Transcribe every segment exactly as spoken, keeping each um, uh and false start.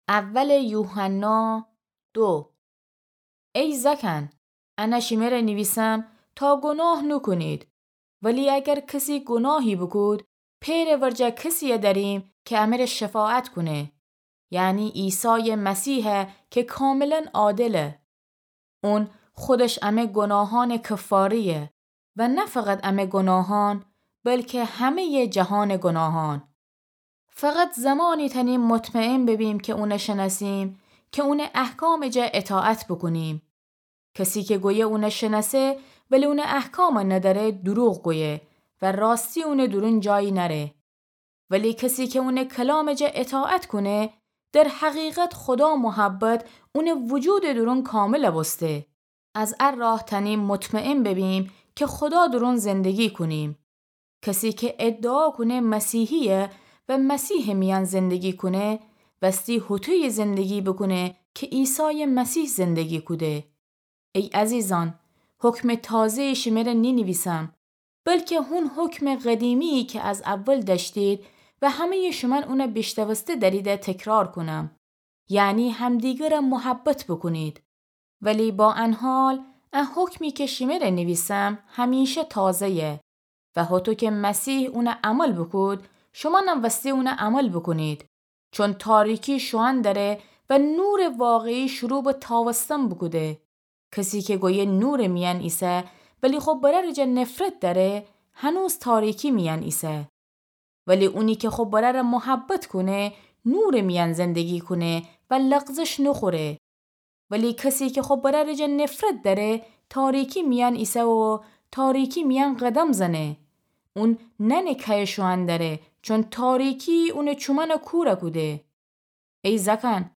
اول یوحنا دو. ای زأکأن، انه شیمره نیویسم تا گوناه نوکونید. ولی اگر کسی گوناهی بوکود، پئرٚ ورجه کسیی دأریم کی امره شفاعت کونه، یعنی عیسایٚ مسیحی کی کاملا عادله. اون خودش امه گوناهأنٚ کفاره‌یه و نه فقط امه گوناهأن، بلکی همه‌یٚ جهانٚ گوناهأن. فقط زمانی تأنیم مطمئن ببیم کی اونه شنأسیم کی اونٚ احکامٚ جا اطاعت بوکونیم. کسی کی گویه اونه شنأسه ولی اونٚ احکام ندأره، دوروغ گویه و راستی اونٚ دورون جایی نأره. ولی کسی کی اونٚ کلامٚ جا اطاعت کونه، در حقیقت خودا محبت اونٚ وجودٚ دورون کامل بوسته. از ا راه تأنیم مطمئن ببیم کی خودا دورون زندگی کونیم. کسی کی ادعا کونه مسیحییه و مسیحٚ میأن زندگی کونه، وستی هوطویی زندگی بوکونه کی عیسایٚ مسیح زندگی کوده. ای عزیزأن، حکمٚ تازه‌یی شیمره نینیویسم، بلکی هون حکمٚ قدیمی‌یی کی از اول دأشتید و همه‌یٚ شومأن اونه بیشنوسته دأریده تکرار کونم، یعنی همدیگره محبت بوکونید. ولی با ان حال، ا حکمی کی شیمره نیویسم همیشه تازه‌یه و هوطو کی مسیح اونه عمل بوکود، شومأنم وستی اونه عمل بوکونید. چون تاریکی شوئن دأره و نورٚ واقعی شروع به تاوستن بوکوده. کسی کی گویه نورٚ میأن ایسه، ولی خو برأرٚ جا نفرت دأره، هنوز تاریکی میأن ایسه. ولی اونی کی خو برأره محبت کونه، نورٚ میأن زندگی کونه و لغزش نوخوره. ولی کسی کی خو برأرٚ جا نفرت دأره، تاریکی میأن ایسه و تاریکی میأن قدم زنه. اون نأنه کیه شوئن دأره، چون تاریکی اونٚ چومأنه کور کوده. ای زأکأن،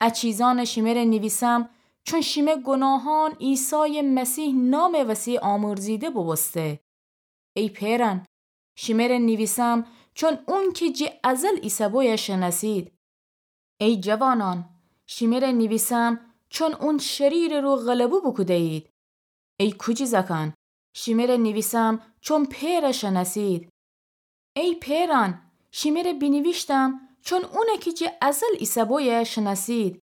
ا چیزأنه شیمره نیویسم، چون شیمه گوناهأن عیسایٚ مسیح نامٚ وسی آمرزیده بوبوسته. ای پئرأن، شیمره نیویسم، چون اون کی جٚه ازل ایسه بویه شنأسید. ای جوانأن، شیمره نیویسم، چون اون شریرٚ رو غلبه بوکوده‌یید. ای کوجی زأکأن، شیمره نیویسم، چون پئره شنأسید. ای پئرأن، شیمره بینیویشتم، چون اونه کی جٚه ازل ایسه بویه شنأسید.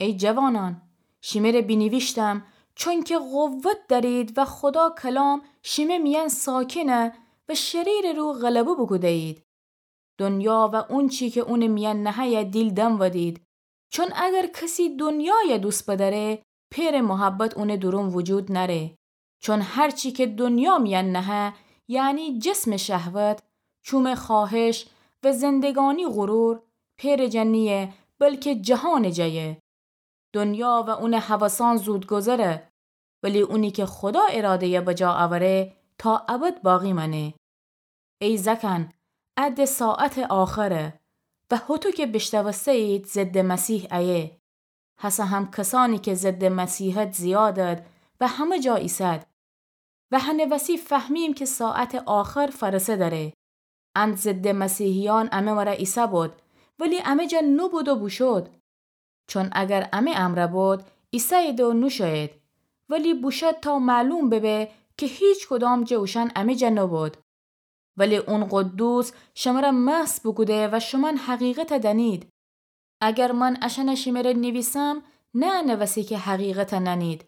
ای جوانأن، شیمره بینیویشتم، چونکی قوت دأرید و خودا کلام شیمه میأن ساکنه و شریرٚ رو غلبه بوکوده‌یید. دنیا و اونچی کی اونٚ میأن نهه‌یه دیل دنودید. چون اگر کسی دنیایه دوست بدأره، پئرٚ محبت اونٚ دورون وجود نأره. چون هرچی کی دنیا میأن نهه، یعنی جسمٚ شهوت، چومٚ خواهش و زندگانی غرور، پئرٚ جا نییه، بلکی جهانٚ جایه. دنیا و اونٚ هوسأن زودگذره، ولی اونی کی خودا اراده‌یه بجا اوره، تا ابد باقی مأنه. ای زأکأن، ا ده ساعتٚ آخره و هوطو کی بیشنوسته‌یید ضدٚ مسیح ایه. هسه هم کسأنی کی ضدٚ مسیحت زیادد و همه جا ایسد. و هنٚ وسی فهمیم کی ساعتٚ آخر فأرسه دأره. ان ضدٚ مسیحیأن امه مره ایسه بود، ولی امه جا نوبود و بوشود. چون اگر امه امرأ بود، ایسه‌یید و نوشویید. ولی بوشود تا معلوم ببه کی هیچ کدام جٚه اوشأن امه جا نوبود. ولی اون قدوس شمره محض بوکوده و شومأن حقیقته دأنید. اگر من اشأنه شیمره نیویسم، نه انٚ وسی کی حقیقته نأنید،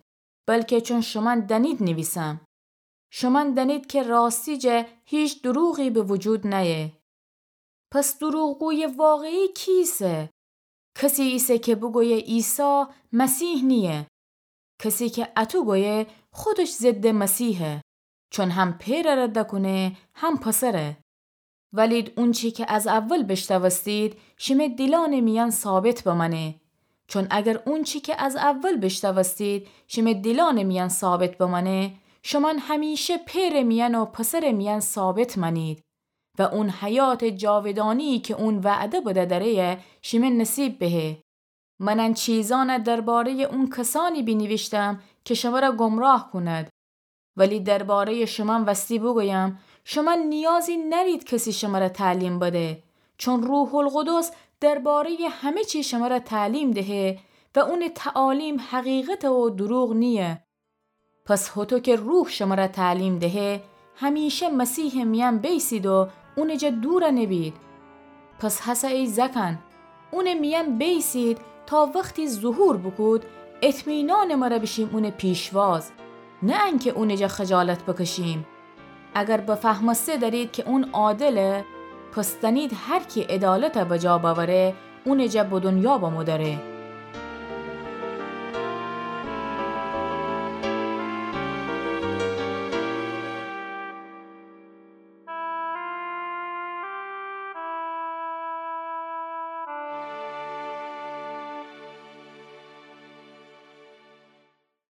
بلکی چون شومأن دأنید نیویسم. شومأن دأنید کی راستی جا هیچ دوروغی به وجود نأیه. پس دوروغگویٚ واقعی کی ایسه؟ کسی ایسه کی بوگویه عیسی مسیح نییه. کسی کی اطو گویه خودش ضدٚ مسیحه، چون هم پئره رد کونه هم پسره. ولید اونچی کی از اول بیشنوستید، شیمه دیلأنٚ میأن ثابت بمأنه. چون اگر اونچی کی از اول بیشنوستید، شیمه دیلأنٚ میأن ثابت بمأنه، شومأن همیشه پئرٚ میأن و پسرٚ میأن ثابت مأنید. و اون حیاتٚ جاودانیی کی اون وعده بده دأره‌یه شیمه نصیب بهه. من ان چیزأنه درباره‌یٚ اون کسأنی بینیویشتم کی شمره گمراه کونید. ولی درباره‌یٚ شومأن وستی بوگویم، شومأن نیازی نأرید کسی شمره تعلیم بده، چون روح‌القدس درباره‌یٚ همه چی شمره تعلیم دهه و اونٚ تعالیم حقیقته و دوروغ نییه. پس هوطو کی روح شمره تعلیم دهه، همیشه مسیحٚ میأن بیسید و اونٚ جا دور نبید. پس هسه ای زأکأن، اونٚ میأن بیسید تا وختی ظهور بوکود، اطمینانٚ مره بیشیم اونٚ پیشواز، نه انکه اونٚ جا خجالت بکشیم. اگر بفهمسته درید که اون عادله، پس تنید هر کی عدالته بجا بأوره، اونٚ جا به دنیا بمودأره.